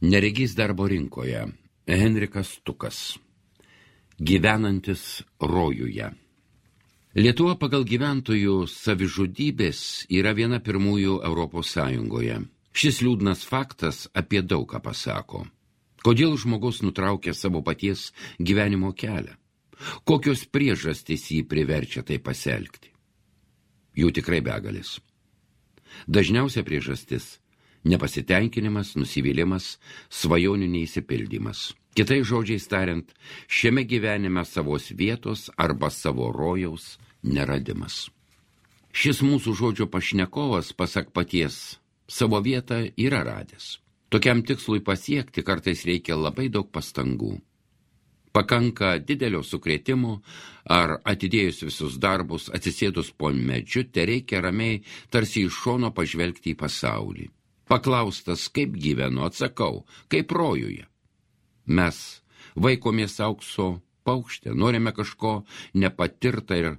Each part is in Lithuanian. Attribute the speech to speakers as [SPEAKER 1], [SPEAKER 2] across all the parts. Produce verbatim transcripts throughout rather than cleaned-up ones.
[SPEAKER 1] Neregys darbo rinkoje. Henrikas Tukas. Gyvenantis rojuje. Lietuva pagal gyventojų savižudybės yra viena pirmųjų Europos Sąjungoje. Šis liūdnas faktas apie daug ką pasako. Kodėl žmogus nutraukia savo paties gyvenimo kelią? Kokios priežastys jį priverčia tai pasielgti? Jų tikrai begalis. Dažniausia priežastis – nepasitenkinimas, nusivylimas, svajonių neįsipildymas. Kitais žodžiais tariant, šiame gyvenime savos vietos arba savo rojaus neradimas. Šis mūsų žodžio pašnekovas, pasak paties, savo vietą yra radęs. Tokiam tikslui pasiekti kartais reikia labai daug pastangų. Pakanka didelio sukrėtimo ar atidėjus visus darbus, atsisėdus po medžiu, tereikia ramiai tarsi iš šono pažvelgti į pasaulį. Paklaustas, kaip gyvenu, atsakau, kaip rojuje. Mes vaikomės aukso paukštę, norime kažko nepatirta ir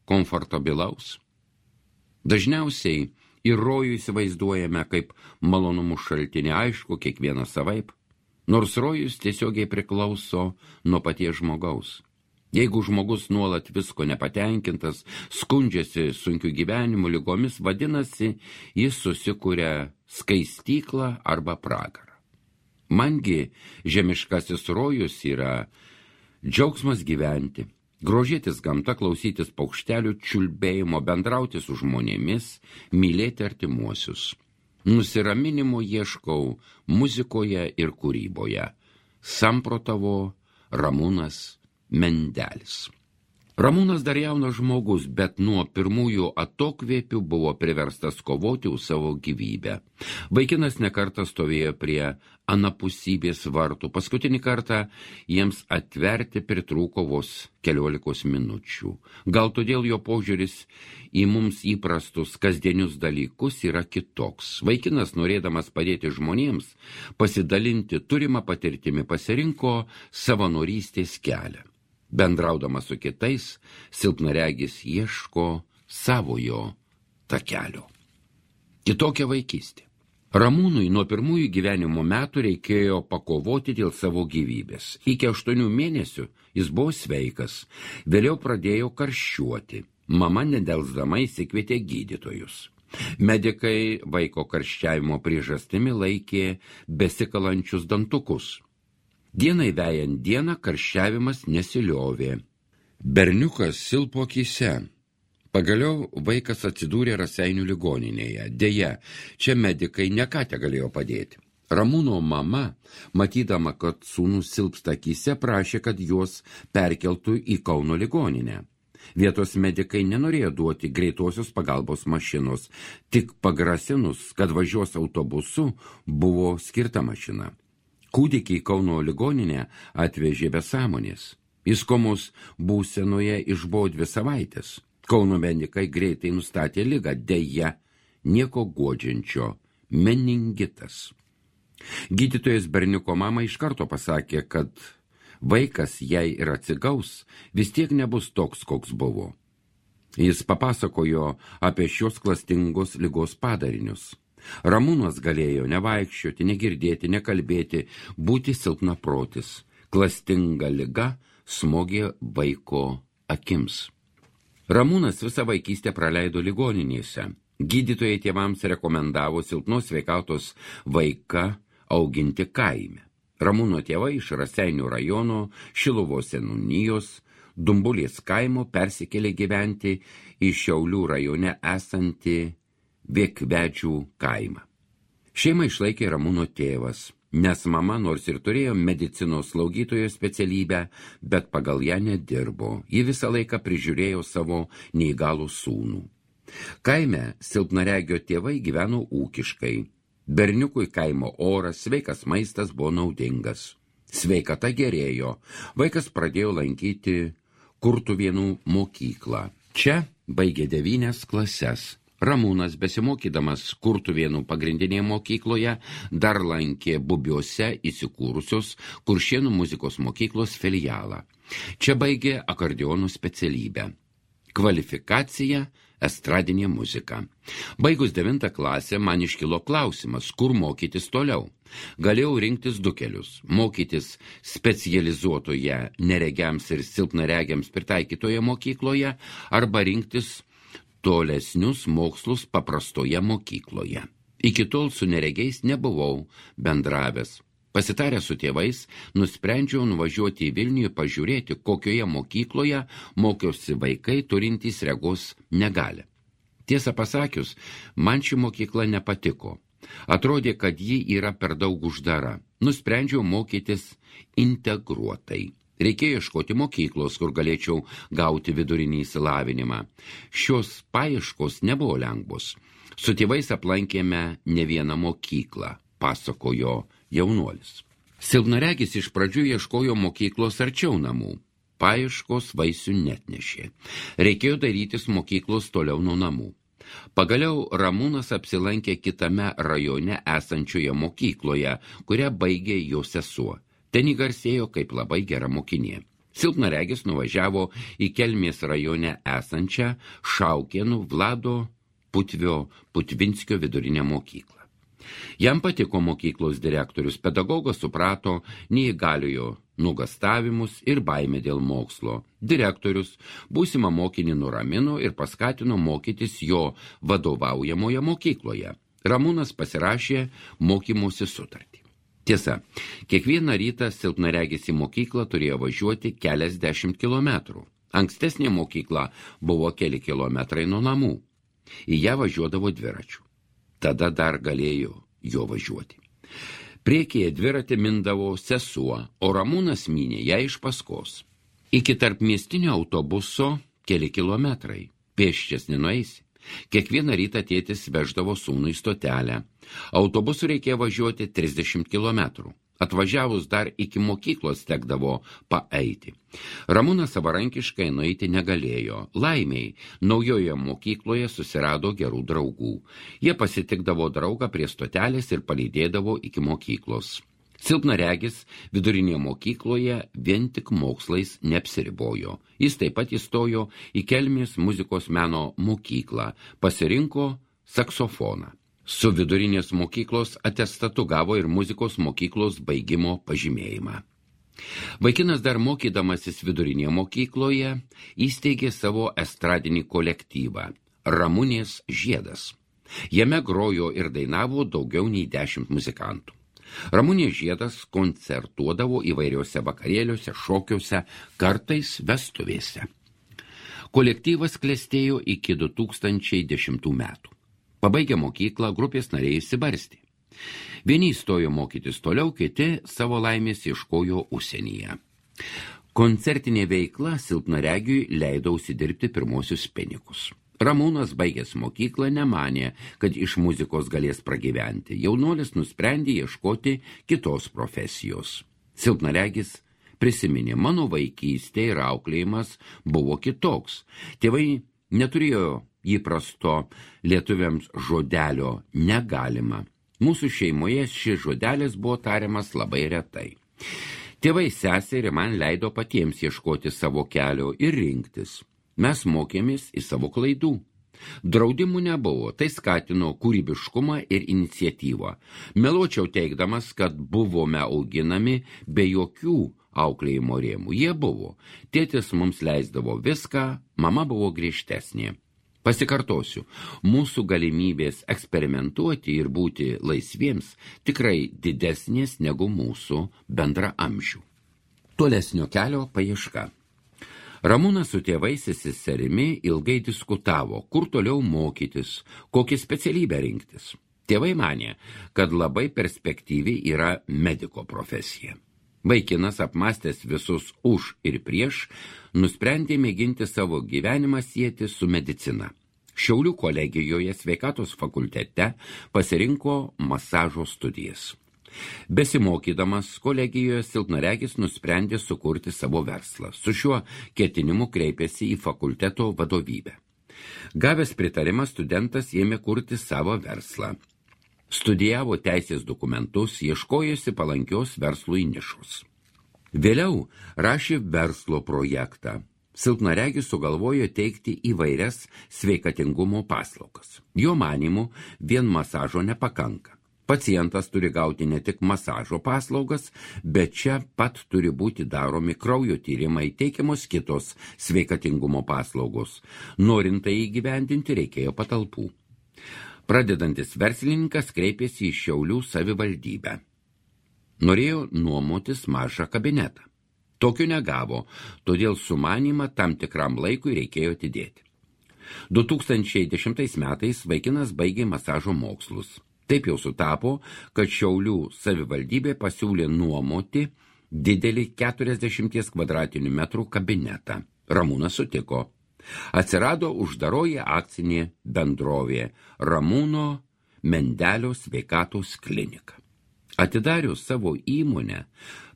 [SPEAKER 1] komfortabilaus. Dažniausiai ir rojų įsivaizduojame kaip malonumų šaltinį, aišku, kiekvieną savaip, nors rojus tiesiogiai priklauso nuo paties žmogaus. Jeigu žmogus nuolat visko nepatenkintas, skundžiasi sunkiu gyvenimu, ligomis, vadinasi, jis susikuria skaistyklą arba pragarą. Mangi žemiškasis rojus yra džiaugsmas gyventi, grožėtis gamta, klausytis paukštelių čiulbėjimo, bendrauti su žmonėmis, mylėti artimuosius. Nusiraminimo ieškau muzikoje ir kūryboje, samprotavo Ramūnas Mendelis. Ramūnas dar jaunas žmogus, bet nuo pirmųjų atokvėpių buvo priverstas kovoti už savo gyvybę. Vaikinas nekartą stovėjo prie anapusybės vartų. Paskutinį kartą jiems atverti pritrūko vos keliolikos minučių. Gal todėl jo požiūris į mums įprastus kasdienius dalykus yra kitoks. Vaikinas, norėdamas padėti žmonėms, pasidalinti turimą patirtimi, pasirinko savanorystės kelią. Bendraudamas su kitais, silpnaregis ieško savojo takelio. Kitokia vaikystė. Ramūnui nuo pirmųjų gyvenimo metų reikėjo pakovoti dėl savo gyvybės. Iki aštuonių mėnesių jis buvo sveikas, vėliau pradėjo karščiuoti. Mama nedelsdama įsikvietė gydytojus. Medikai vaiko karščiavimo priežastimi laikė besikalančius dantukus. Dienai vejant dieną karščiavimas nesiliovė. Berniukas silpo akyse. Pagaliau vaikas atsidūrė Raseinių ligoninėje. Deja, čia medikai ne ką tegalėjo padėti. Ramūno mama, matydama, kad sūnus silpsta akyse, prašė, kad juos perkeltų į Kauno ligoninę. Vietos medikai nenorėjo duoti greitosios pagalbos mašinos, tik pagrasinus, kad važiuos autobusu, buvo skirta mašina. Kūdikį į Kauno ligoninę atvežė be sąmonės. Jis komos būsenoje išbuvo dvi savaitės. Kauno medikai greitai nustatė ligą, deja, nieko guodžiančio – meningitas. Gydytojas berniuko mama iš karto pasakė, kad vaikas, jei ir atsigaus, vis tiek nebus toks, koks buvo. Jis papasakojo apie šios klastingos ligos padarinius. Ramūnas galėjo nevaikščioti, negirdėti, nekalbėti, būti silpnaprotis. Klastinga liga smogė vaiko akims. Ramūnas visą vaikystę praleido ligoninėse. Gydytojai tėvams rekomendavo silpnos sveikatos vaiką auginti kaime. Ramūno tėvai iš Raseinių rajono Šiluvos seniūnijos Dumbulės kaimo persikėlė gyventi į Šiaulių rajone esantį Viekvedžių kaimą. Šeimą išlaikė Ramūno tėvas, nes mama nors ir turėjo medicinos slaugytojo specialybę, bet pagal ją nedirbo. Ji visą laiką prižiūrėjo savo neįgalų sūnų. Kaime silpnaregio tėvai gyveno ūkiškai. Berniukui kaimo oras, sveikas maistas buvo naudingas. Sveikata gerėjo. Vaikas pradėjo lankyti Kurtuvėnų mokyklą. Čia baigė devynias klases. Ramūnas, besimokydamas Kurtuvėnų pagrindinėje mokykloje, dar lankė Bubiuose įsikūrusios Kuršėnų muzikos mokyklos filialą. Čia baigė akordeonų specialybę. Kvalifikacija estradinė muzika. Baigus devintą klasę man iškilo klausimas, kur mokytis toliau. Galėjau rinktis du kelius – mokytis specializuotoje neregiams ir silpnaregiams pritaikytoje mokykloje arba rinktis tolesnius mokslus paprastoje mokykloje. Iki tol su neregiais nebuvau bendravęs. Pasitaręs su tėvais, nusprendžiau nuvažiuoti į Vilnių ir pažiūrėti, kokioje mokykloje mokiausi vaikai turintys regos negalią. Tiesą pasakius, man ši mokykla nepatiko. Atrodė, kad ji yra per daug uždara. Nusprendžiau mokytis integruotai. Reikėjo ieškoti mokyklos, kur galėčiau gauti vidurinį išsilavinimą. Šios paieškos nebuvo lengvos. Su tėvais aplankėme ne vieną mokyklą, pasakojo jaunuolis. Silpnaregis iš pradžių ieškojo mokyklos arčiau namų. Paieškos vaisių netnešė. Reikėjo darytis mokyklos toliau nuo namų. Pagaliau Ramūnas apsilankė kitame rajone esančioje mokykloje, kurią baigė jo sesuo. Ten įgarsėjo kaip labai gera mokinė. Silpnaregis nuvažiavo į Kelmės rajone esančią Šaukėnų Vlado Putvio Putvinskio vidurinę mokyklą. Jam patiko mokyklos direktorius, pedagogas suprato neįgaliojo nugastavimus ir baimę dėl mokslo. Direktorius būsimą mokinį nuramino ir paskatino mokytis jo vadovaujamoje mokykloje. Ramūnas pasirašė mokymosi sutartį. Tiesa, kiekvieną rytą silpnaregis į mokyklą turėjo važiuoti keliasdešimt kilometrų. Ankstesnė mokykla buvo keli kilometrai nuo namų. Į ją važiuodavo dviračiu. Tada dar galėjo jo važiuoti. Priekyje dviratį mindavo sesuo, o Ramūnas mynė ją iš paskos. Iki tarpmiestinio autobuso keli kilometrai. Pėsčias nenueisi. Kiekvieną rytą tėtis veždavo sūnų į stotelę. Autobusu reikėjo važiuoti trisdešimt kilometrų. Atvažiavus dar iki mokyklos tekdavo paeiti. Ramūnas savarankiškai nueiti negalėjo. Laimiai, naujoje mokykloje susirado gerų draugų. Jie pasitikdavo draugą prie stotelės ir palydėdavo iki mokyklos. Silpnaregis vidurinėje mokykloje vien tik mokslais neapsiribojo. Jis taip pat įstojo į Kelmės muzikos meno mokyklą, pasirinko saksofoną. Su vidurinės mokyklos atestatu gavo ir muzikos mokyklos baigimo pažymėjimą. Vaikinas dar mokydamasis vidurinėje mokykloje įsteigė savo estradinį kolektyvą Ramunės žiedas. Jame grojo ir dainavo daugiau nei dešimt muzikantų. Ramunės žiedas koncertuodavo įvairiuose vakarėliuose, šokiuose, kartais vestuvėse. Kolektyvas klestėjo iki du tūkstančiai dešimtų metų. Pabaigę mokyklą, grupės nariai išsibarstė. Vieni įstojo mokytis toliau, kiti savo laimės ieškojo užsienyje. Koncertinė veikla silpnaregiui leido užsidirbti pirmosius pinigus. Ramūnas, baigęs mokyklą, nemanė, kad iš muzikos galės pragyventi. Jaunuolis nusprendė ieškoti kitos profesijos. Silpnaregis prisiminė, mano vaikystė ir auklėjimas buvo kitoks. Tėvai neturėjo įprasto lietuviams žodelio negalima. Mūsų šeimoje šis žodelis buvo tariamas labai retai. Tėvai seserį man leido patiems ieškoti savo kelio ir rinktis. Mes mokėmės į savo klaidų. Draudimų nebuvo, tai skatino kūrybiškumą ir iniciatyvą. Meluočiau teigdamas, kad buvome auginami be jokių auklėjimo rėmų. Jie buvo. Tėtis mums leisdavo viską, mama buvo griežtesnė. Pasikartosiu, mūsų galimybės eksperimentuoti ir būti laisviems tikrai didesnės negu mūsų bendraamžių. Tolesnio kelio paieška. Ramūnas su tėvais ir seserimi ilgai diskutavo, kur toliau mokytis, kokią specialybę rinktis. Tėvai manė, kad labai perspektyvi yra mediko profesija. Vaikinas, apmąstęs visus už ir prieš, nusprendė mėginti savo gyvenimą sieti su medicina. Šiaulių kolegijoje sveikatos fakultete pasirinko masažo studijas. Besimokydamas kolegijoje silpnaregis nusprendė sukurti savo verslą. Su šiuo ketinimu kreipėsi į fakulteto vadovybę. Gavęs pritarimą, studentas ėmė kurti savo verslą. Studijavo teisės dokumentus, ieškojosi palankios verslui nišos. Vėliau rašė verslo projektą. silpnaregis sugalvojo teikti įvairias sveikatingumo paslaugas. Jo manymu, vien masažo nepakanka. Pacientas turi gauti ne tik masažo paslaugas, bet čia pat turi būti daromi kraujo tyrimai, teikiamos kitos sveikatingumo paslaugos. Norint tai įgyvendinti, reikėjo patalpų. Pradedantis verslininkas kreipėsi į Šiaulių savivaldybę. Norėjo nuomotis mažą kabinetą. Tokių negavo, todėl sumanymą tam tikram laikui reikėjo atidėti. du tūkstančiai dešimtais metais vaikinas baigė masažo mokslus. Taip jau sutapo, kad Šiaulių savivaldybė pasiūlė nuomoti didelį keturiasdešimties kvadratinių metrų kabinetą. Ramūnas sutiko. Atsirado uždaroji akcinė bendrovė Ramūno Mendelio sveikatos klinika. Atidarius savo įmonę,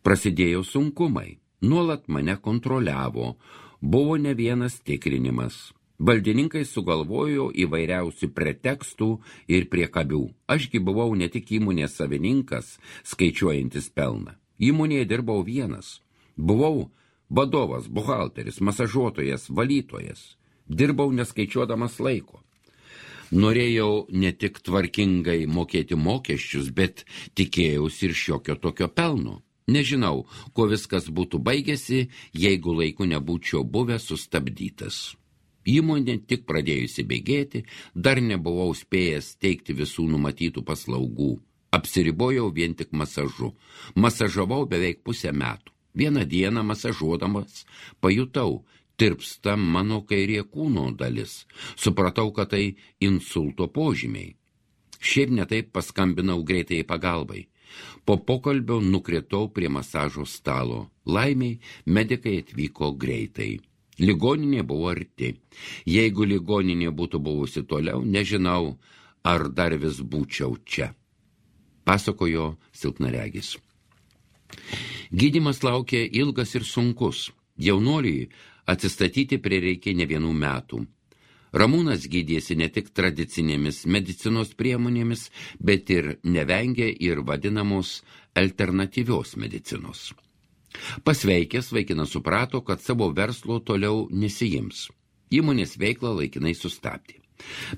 [SPEAKER 1] prasidėjo sunkumai. Nuolat mane kontroliavo, buvo ne vienas tikrinimas. Valdininkai sugalvojo įvairiausių pretekstų ir priekabių. Ašgi buvau ne tik įmonės savininkas, skaičiuojantis pelną. Įmonėje dirbau vienas. Buvau vadovas, buhalteris, masažuotojas, valytojas. Dirbau neskaičiuodamas laiko. Norėjau ne tik tvarkingai mokėti mokesčius, bet tikėjausi ir šiokio tokio pelno. Nežinau, kuo viskas būtų baigėsi, jeigu laiku nebūčiau buvęs sustabdytas. Įmonė tik pradėjusi bėgėti, dar nebuvau spėjęs teikti visų numatytų paslaugų. Apsiribojau vien tik masažu. Masažavau beveik pusę metų. Vieną dieną masažuodamas pajutau, tirpsta mano kairė kūno dalis. Supratau, kad tai insulto požymiai. Šiaip netaip paskambinau greitai pagalbai. Po pokalbio nukritau prie masažo stalo. Laimiai, medikai atvyko greitai. Ligoninė buvo arti. Jeigu ligoninė būtų buvusi toliau, nežinau, ar dar vis būčiau čia. Pasakojo silpnaregis. Gydymas laukė ilgas ir sunkus. Jaunuoliui atsistatyti prireikė ne vienų metų. Ramūnas gydėsi ne tik tradicinėmis medicinos priemonėmis, bet ir nevengė ir vadinamos alternatyvios medicinos. Pasveikęs vaikinas suprato, kad savo verslo toliau nesijims. Įmonės veiklą laikinai sustabdė.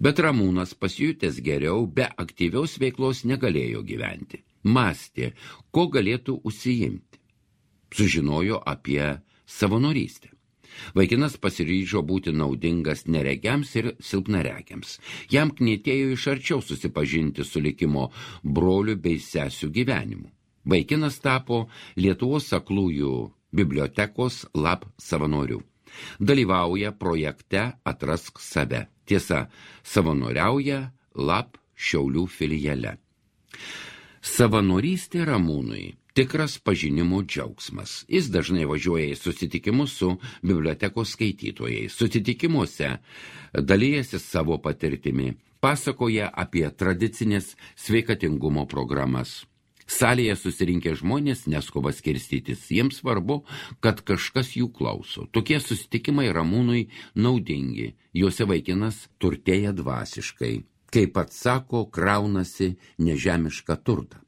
[SPEAKER 1] Bet Ramūnas, pasijutęs geriau, be aktyvios veiklos negalėjo gyventi. Mąstė, ko galėtų užsiimti. Sužinojo apie savanorystę. Vaikinas pasiryžo būti naudingas neregiams ir silpnaregiams. Jam knietėjo iš arčiau susipažinti su likimo brolių bei sesių gyvenimu. Vaikinas tapo Lietuvos aklųjų bibliotekos lab savanoriu. Dalyvauja projekte Atrask save. Tiesa, savanoriauja lab Šiaulių filiale. Savanorystė Ramūnui tikras pažinimo džiaugsmas. Jis dažnai važiuoja į susitikimus su bibliotekos skaitytojais. Susitikimuose dalyjasi savo patirtimi, pasakoja apie tradicinės sveikatingumo programas. Salėje susirinkę žmonės neskuba skirstytis. Jiems svarbu, kad kažkas jų klauso. Tokie susitikimai Ramūnui naudingi. Juose vaikinas turtėja dvasiškai. Kaip pats sako, kraunasi nežemišką turtą.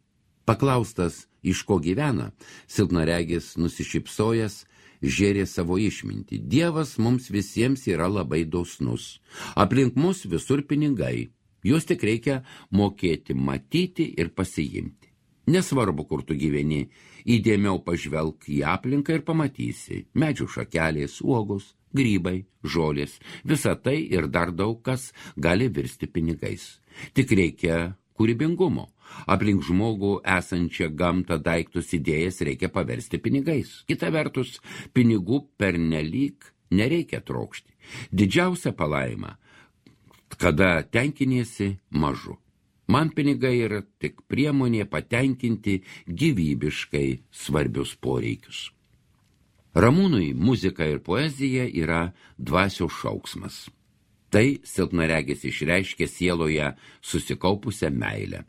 [SPEAKER 1] Paklaustas, iš ko gyvena, silpnaregis nusišypsojęs žėrė savo išmintį. Dievas mums visiems yra labai dosnus. Aplink mus visur pinigai. Juos tik reikia mokėti matyti ir pasiimti. Nesvarbu, kur tu gyveni, įdėmiau pažvelk į aplinką ir pamatysi. Medžių šakelės, uogos, grybai, žolės, visa tai ir dar daug kas gali virsti pinigais. Tik reikia kūrybingumo. Aplink žmogų esančią gamtą daiktus idėjas reikia paversti pinigais. Kita vertus, pinigų pernelyg nereikia trokšti. Didžiausia palaima, kada tenkiniesi mažu. Man pinigai yra tik priemonė patenkinti gyvybiškai svarbius poreikius. Ramūnui muzika ir poezija yra dvasios šauksmas. Tai silpnaregis išreiškė sieloje susikaupusią meilę.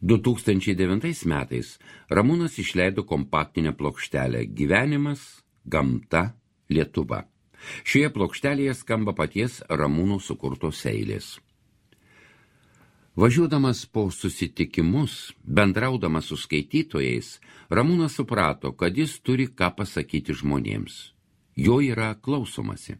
[SPEAKER 1] du tūkstančiai devintais metais Ramūnas išleido kompaktinę plokštelę Gyvenimas, gamta, Lietuva. Šioje plokštelėje skamba paties Ramūno sukurtos eilės. Važiuodamas po susitikimus, bendraudamas su skaitytojais, Ramūnas suprato, kad jis turi ką pasakyti žmonėms. jo yra klausomasi.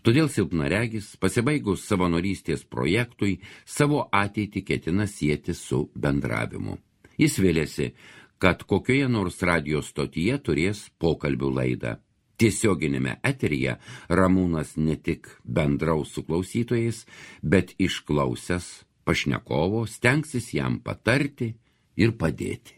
[SPEAKER 1] Todėl silpnaregis, pasibaigus savanorystės projektui, savo ateitį ketina sieti su bendravimu. Jis vėlėsi, kad kokioje nors radijo stotyje turės pokalbių laidą. Tiesioginėme eteryje Ramūnas ne tik bendraus su klausytojais, bet išklausęs pašnekovo stengsis jam patarti ir padėti.